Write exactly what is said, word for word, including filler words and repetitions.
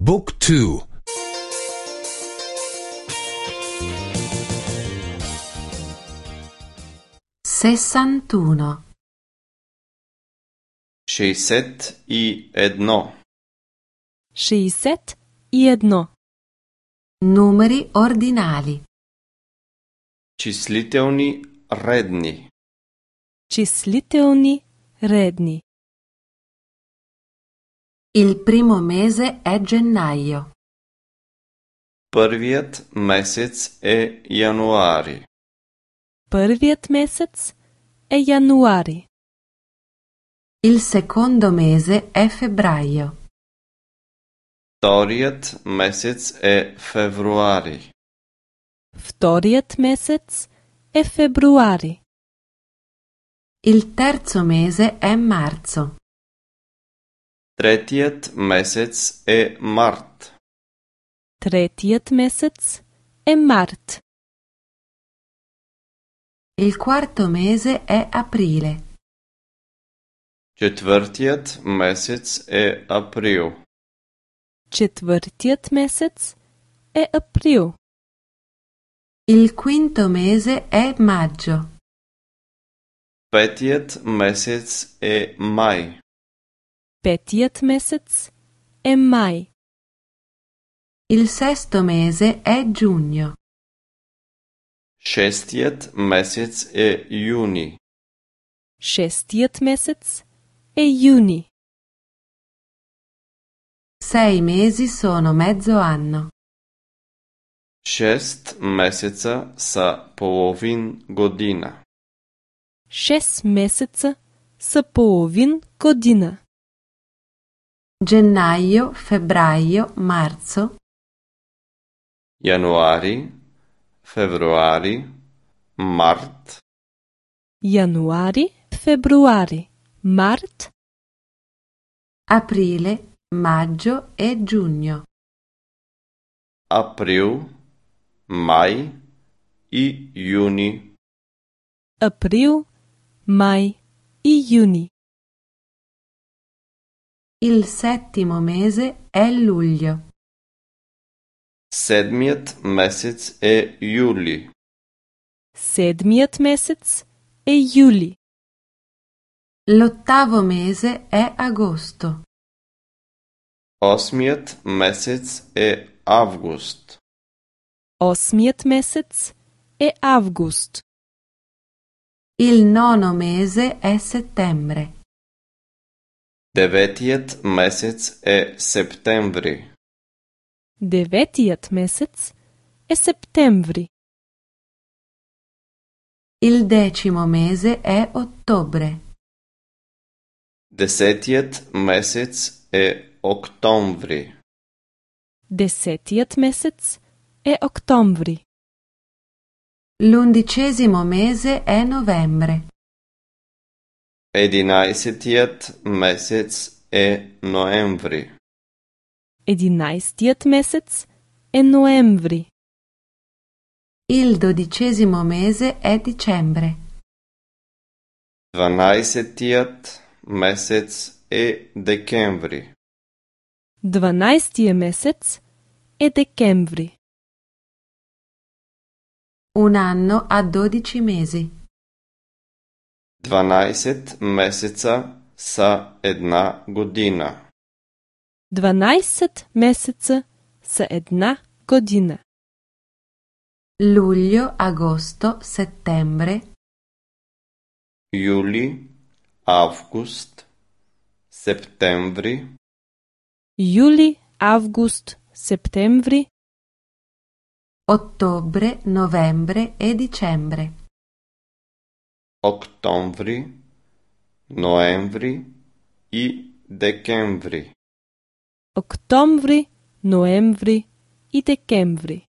Book two. sessantuno. шејсет и едно. шејсет и едно. Numeri ordinali. Числителни редни. Числителни редни. Il primo mese è gennaio. Првиот месец е јануари. Првиот месец е јануари. Il secondo mese è febbraio. Вториот месец е февруари. Вториот месец е февруари. Il terzo mese è marzo. Третиот месец е март. Третиот месец е март. Il quarto mese è aprile. Четвртиот месец е април. Четвртиот месец е април. Il quinto mese è maggio. Петиот месец е мај. Петиот месец е мај. Il sesto mese è giugno. Шестиот месец е јуни. Шестиот месец е јуни. Sei mesi sono mezzo anno. Шест месеца са половин година. Шест месеца са половин година. Gennaio, febbraio, marzo. Јануари, февруари, март. Јануари, февруари, март. Aprile, maggio e giugno. Април, мај и јуни. Април, мај и јуни. Il settimo mese è luglio. Седмиот месец е јули. Седмиот месец е јули. L'ottavo mese è agosto. Осмиот месец е август. Осмиот месец е август. Il nono mese è settembre. Деветиот месец е септември. Деветиот месец е септември. Il decimo mese è ottobre. Десетиот месец е октомври. Десетиот месец е октомври. L'undicesimo mese è novembre. Единаесеттиот месец е ноември. Единаесеттиот месец е ноември. Il dodicesimo mese è dicembre. Дванаесеттиот месец е декември. Дванаесеттиот месец е декември. Un anno ha dodici mesi. Дванаесет месеца са една година. Дванаесет месеца са една година. Luglio, agosto, settembre. Јули, август, септември. Јули, август, септември. Ottobre, novembre e dicembre. Октомври, ноември и декември. Октомври, ноември и декември.